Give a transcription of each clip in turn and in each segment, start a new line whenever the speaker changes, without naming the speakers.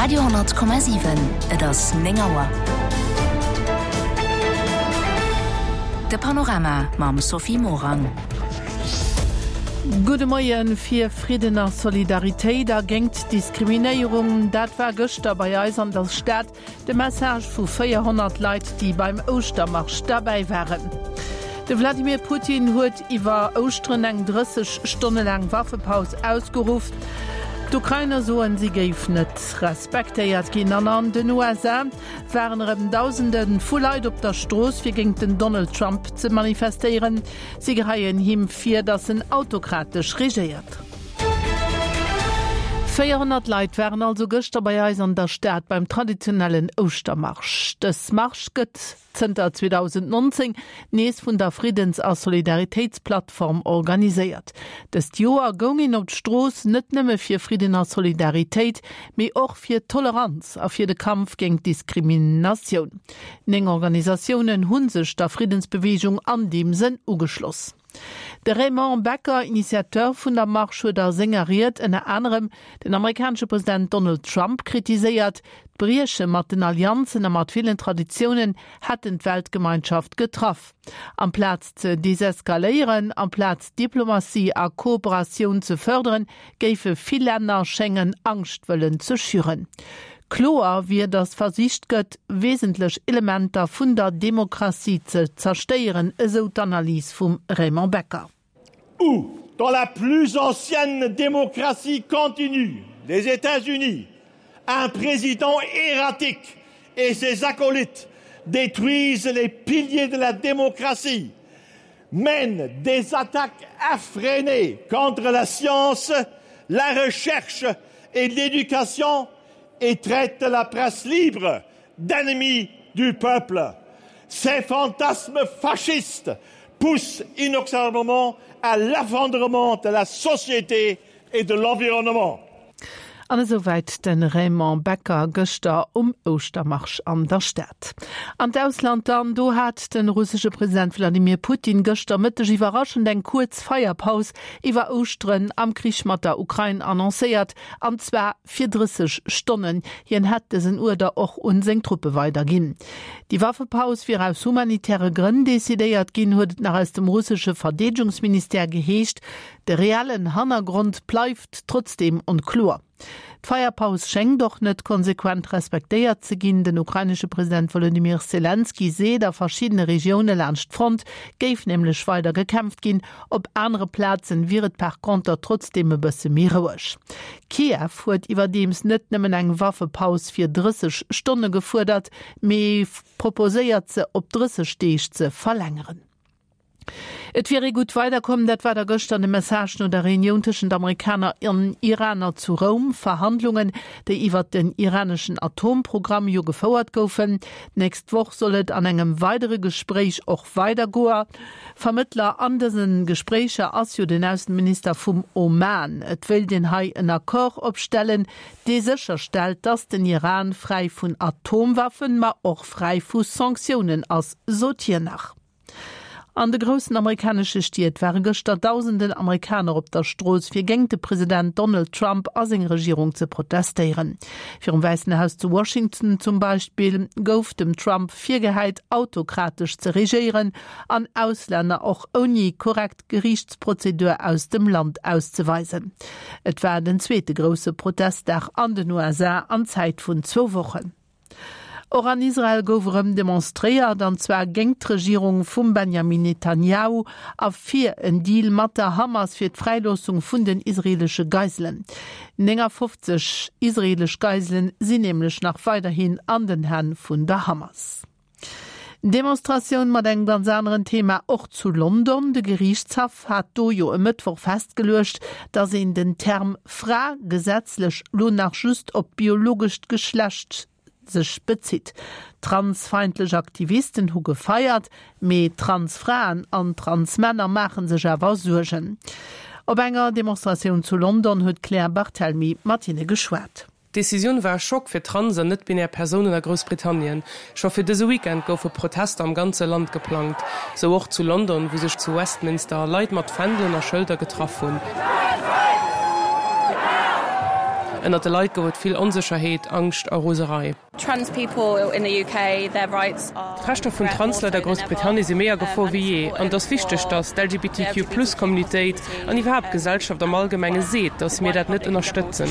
Radio 10,7 Et ass 9 Auer. De Panorama mam Sophie Morang.
Gudde Moien. Fir Fridden a Solidaritéit a géingt Diskriminéierung, dat war gëschter bei eis an der Stad De Message vu 400 Leit, déi beim Ouschtermarsch derbäi waren. De Wladimir Putin huet iwwer Ouschteren eng 30 Stonne laang Waffepaus ausgeruff. D'Ukrainer soen, si géif net respektéiert ginn. An an den USA waren erëm Dausende vu Leit op der Strooss, fir géint den Donald Trump ze manifestéieren. Si geheien him vir, datt en autokratesch regéiert. 400 Leit waren also gëschter bei eis an der Stad beim traditionellen Ouschtermarsch. Dës Marsch gëtt zënter 2019 nees vun der Friddens a Solidaritéitsplattform organiséiert. Dëst Joer goung een op d'Strooss net nëmme fir Fridden a Solidaritéit, mee och fir Toleranz a fir de Kampf géint Diskriminatioun. 9 Organisatiounen hu sech der Friddensbeweegung an deem Sënn ugeschloss. De Raymond Becker, Initiateur vun der Marsch, huet a senger Ried ënner anerem den amerikanesche President Donald Trump kritiséiert. D'Brieche mat den Allianzen a mat villen Traditiounen hätten d'Weltgemeinschaft getraff. Amplaz ze deseskaléieren, amplaz Diplomatie a Kooperatioun ze fërderen, géife vill Länner schéngen Angscht wëllen ze schüren. Kloer wier, datt versicht gëtt, wesentlech Elementer vun der Demokratie ze zerstéieren, esou d'Analys vum Raymond Becker.
Où, dans la plus ancienne démocratie continue, les États-Unis, un président erratique et ses acolytes détruisent les piliers de la démocratie, mènent des attaques effrénées contre la science, la recherche et l'éducation et traitent la presse libre d'ennemi du peuple. Ces fantasmes fascistes poussent inoxablement à l'effondrement de la société et de l'environnement.
An esouwäit de Raymond Becker gëschter um Ouschtermarsch an der Stad. An d'Ausland dann, do hat de russesche President Wladimir Putin gëschter Mëtteg iwwerraschend eng kuerz Feierpaus iwwer Ouschteren am Krich mat der Ukrain annoncéiert, an zwar fir 30 Stonnen. Hien hätt dësen Uerder och un seng Truppe weiderginn. Déi Waffepaus wier aus humanitäre Grënn decidéiert ginn, huet et nach aus dem russesche Verdeedegungsministère geheescht. De reellen Hannergrond bleift trotzdeem onkloer. D'Feierpaus schéngt och net konsequent respektéiert ze ginn. Den ukrainesche President Wolodymyr Selenskyj seet, a verschiddene Regioune laanscht d'Front géif nämlech weider gekämpft ginn. Op anere Plazen wier et par conter trotzdeem e bësse méi roueg. Kiew huet iwwerdeems net nëmmen eng Waffepaus fir 30 Stonne gefuerdert, mee proposéiert se op 30 Deeg ze verlängeren. Et wier ee gutt weiderkomm, dat war da gëschter de Message no der Reunioun tëschent Amerikaner an Iraner zu Roum. Verhandlungen, déi iwwert den iraneschen Atomprogramm jo gefouert goufen. D'nächst Woch soll et an engem weidere Gespréich och weidergoer. Vermëttler an dëse Gespréicher ass jo den Ausseminister vum Oman. Et wéilt een hei en Accord opstellen, dee sécherstellt, datt den Iran fräi vun Atomwaffen, ma och fräi vu Sanktiounen ass, sot hien nach. An de groussen amerikanesche Stied ware gëschter dausenden Amerikaner op der Strooss, fir géingt de President Donald Trump a seng Regierung ze protestéieren. Virum Wäissen Haus zu Washington zum Beispill gouf dem Trump virgehäit, autokratesch ze regéieren an Auslänner och ouni korrekt Geriichtsprozedur aus dem Land auszeweisen. Et war den zweete grousse Protestdag an den USA an Zäit vun zwou Wochen. Och an Israel gouf erëm demonstréiert, an zwar géingt d'Regierung vum Benjamin Netanjahu a fir en Deal mat der Hamas fir d'Fräiloossung vun den israeelesche Geiselen. 59 israeelesch Geiselen sinn nämlech nach weiderhin an den Hänn vun der Hamas. Demonstratioun mat engem ganz aneren Thema och zu London. De Geriichtshaff hat do jo e Mëttwoch festgeluecht, datt een den Term Fra gesetzlech lo nach just op d'biologescht Geschlecht sech bezitt. Transfeindlech Aktivisten hu gefeiert, mee Transfraen an Transmänner maache sech awer Suergen. Op enger Demonstratioun zu London huet d'Claire Barthelmy mat hinne geschwat.
D'Decisioun war e Schock fir trans an net-binär Persounen a Groussbritannien. Scho fir dëse Weekend goufe Protester am ganze Land geplangt, sou och zu London, wou sech zu Westminster Leit mat Fändelen a Schëlder getraff hunn. Ënnert de Leit gouf et vill Onsécherheet, Angscht a Roserei. D'Rechter vun Transleit a Groussbritannie si méi a Gefor wéi jee an et ass wichteg, datt d'LGBTQ-Plus-Communitéit an iwwerhaapt d'Gesellschaft am Allgemenge seet, datt mir dat net ënnerstëtzen.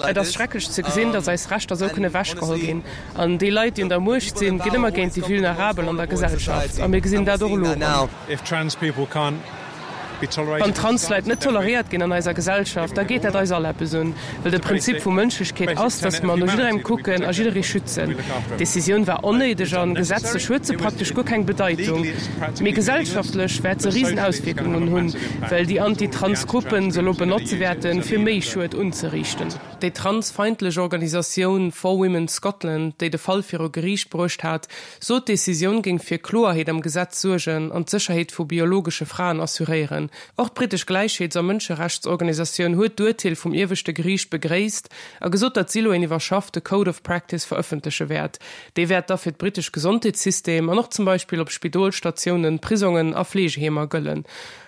Et ass schrecklech ze gesinn, datt eis Rechter esou kënne ewechgeholl ginn. An déi Leit, déi un der Muecht sinn, ginn ëmmer géint déi Vulnerabel an der Gesellschaft. A mir gesinn dat och elo erëm. Wann Transleit net toleréiert ginn an eiser Gesellschaft, da geet dat eis all eppes un. Well de Prinzip vu Mënschlechkeet ass, datt mer no jidderengem kucken a jidderee schützen. D'Decisioun war onnéideg an gesetzlech huet se praktesch guer keng Bedeitung. Mee gesellschaftlech wäert se risen Auswierkungen hunn, well déi Anti-Trans-Gruppen se elo benotze wäerten, fir méi Schued unzeriichten. Déi transfeindlech Organisatioun For Women Scotland, déi de Fall viru Geriicht bruecht hat, sot, d'Decisioun géing fir Kloerheet am Gesetz suergen an d'Sécherheet vu biologesche Fraen assuréieren. Och d'brittesch Gläichheets a Mënscherechtsorganisatioun huet d'Urteel vum ieweschte Geriicht begréisst a gesot, datt si elo een iwwerschaffte Code of Practice verëffentleche wäert. Dee wäert da fir d'brittesch Gesondheetssystem an och zum Beispill op Spidolsstatiounen, Prisongen a Fleegeheemer gëllen.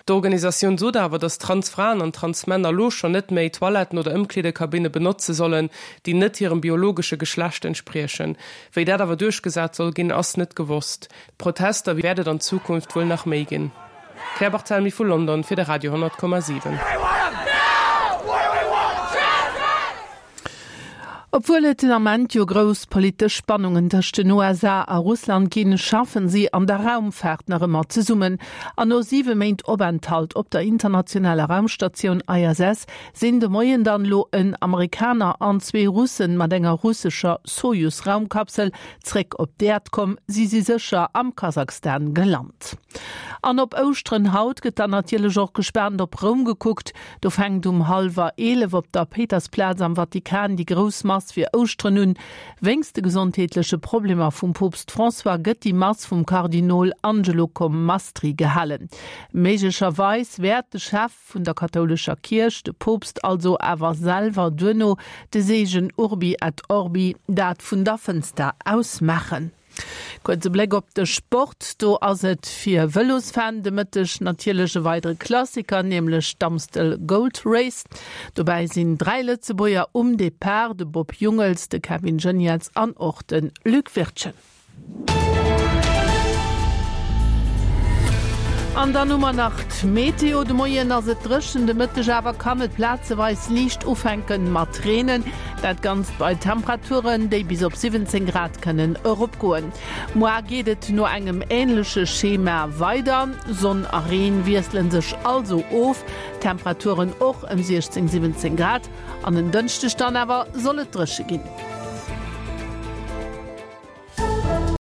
D'Organisatioun sot awer, datt Transfraen an Transmänner elo schonn net méi Toiletten oder Ëmkleedekabinne benotze sollen, déi net hirem biologesche Geschlecht entspriechen. Wéi dat awer duerchgesat soll ginn, ass net gewosst. Protester wäert et an Zukunft wuel nach méi ginn. Claire Barthelmy vu London fir de Radio 10,7.
Obwuel et den Ament jo grouss politesch Spannungen tëscht den USA a Russland ginn, schaffen si an der Raumfaart nach ëmmer zesummen. An no 7 Méint Openthalt op der internationaler Raumstatioun ISS sinn de Moien dann elo en Amerikaner an zwee Russen mat enger russescher Sojus-Raumkapsel zréck op d'Äerd komm. Si si sécher am Kasachstan gelant. An op Ouschteren haut gëtt dann natierlech och gespaant op Roum gekuckt. Do fänkt um hallwer 11 op der Péitersplaz am Vatikan déi grouss Mass fir Ouschteren un. Wéinst de gesondheetleche Problemer vum Poopst François gëtt déi Mass vum Kardinol Angelo Comastri gehalen. Méiglecherweis wäert de Chef vun der kathoulescher Kierch, de Poopst also, awer selwer duerno de Seegen Urbi et Orbi, dat vun der Fënster aus maachen. Kuerze Bléck op de Sport, Do ass et fir Vëlosfan de Mëtteg natierlech e weidere Klassiker, nämlech d'Amstel Gold Race. Dobäi sinn 3 Lëtzebuerger um Depart, de Bob Jungels, de Kevin Geniets an och de Luc Wirtgen. An dann hu mer nach d'Meteo, De Moien ass et dréchen, de Mëtteg awer kann et plazeweis liicht ufänke mat reenen. Dat Ganzt bei Temperaturen, déi bis op 17 Grad kënnen eropgoen. Moar geet et no engem änleche Schema weider, Sonn a Reen wiessle sech also of, Temperaturen och ëm 16, 17 Grad. An en Dënschdeg dann awer soll et dréche ginn.